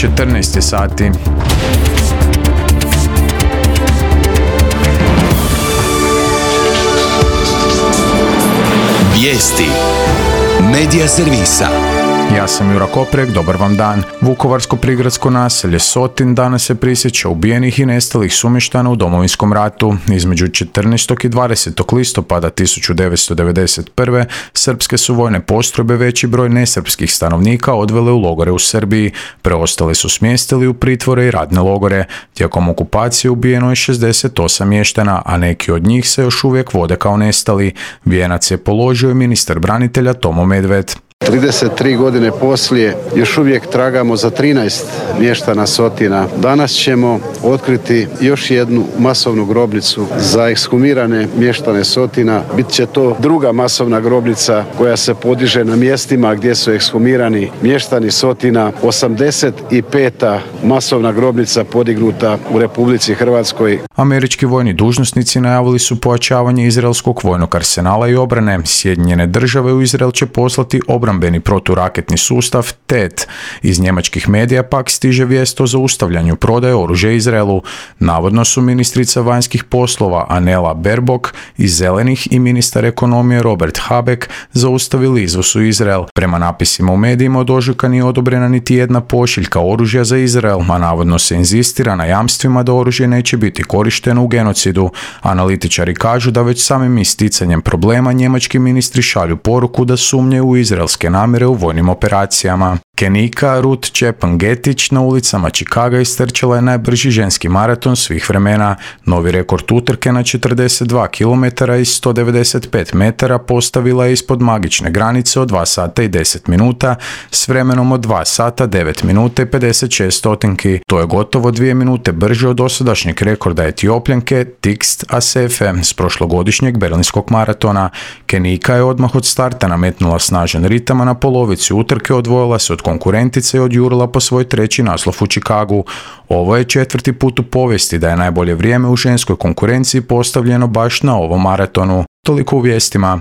14 sati. Vijesti Medija servisa. Ja sam Jura Koprek, dobar vam dan. Vukovarsko-prigradsko naselje Sotin danas se prisjeća ubijenih i nestalih sumještana u Domovinskom ratu. Između 14. i 20. listopada 1991. srpske su vojne postrojbe veći broj nesrpskih stanovnika odvele u logore u Srbiji. Preostale su smjestili u pritvore i radne logore. Tijekom okupacije ubijeno je 68 mještana, a neki od njih se još uvijek vode kao nestali. Vijenac je položio ministar branitelja Tomo Medved. 33 godine poslije još uvijek tragamo za 13 mještana Sotina. Danas ćemo otkriti još jednu masovnu grobnicu za ekshumirane mještane Sotina. Bit će to druga masovna grobnica koja se podiže na mjestima gdje su ekshumirani mještani Sotina. 85. masovna grobnica podignuta u Republici Hrvatskoj. Američki vojni dužnosnici najavili su pojačavanje izraelskog vojnog arsenala i obrane. Sjedinjene države u Izrael će poslati obrambeni proturaketni sustav TET. Iz njemačkih medija pak stiže vijest o zaustavljanju prodaje oružja Izraelu. Navodno su ministrica vanjskih poslova Annela Baerbock iz Zelenih i ministar ekonomije Robert Habeck zaustavili izvoz u Izrael. Prema napisima u medijima od ožujka nije odobrena niti jedna pošiljka oružja za Izrael, a navodno se inzistira na jamstvima da oružje neće biti korišteno u genocidu. Analitičari kažu da već samim isticanjem problema njemački ministri šalju poruku da sumnjaju u izraelske namjere u vojnim operacijama. Kenika Ruth Chepngetich na ulicama Chicaga istrčala je najbrži ženski maraton svih vremena. Novi rekord utrke na 42 km i 195 metara postavila je ispod magične granice od 2 sata i 10 minuta s vremenom od 2 sata 9 minuta i 56 stotinki. To je gotovo 2 minute brže od dosadašnjeg rekorda Etiopljanke Tigst Asefe s prošlogodišnjeg berlinskog maratona. Kenika je odmah od starta nametnula snažan ritam, a na polovici utrke odvojila se od konkurentice i odjurila po svoj treći naslov u Chicagu. Ovo je 4. put u povijesti da je najbolje vrijeme u ženskoj konkurenciji postavljeno baš na ovom maratonu. Toliko u vijestima.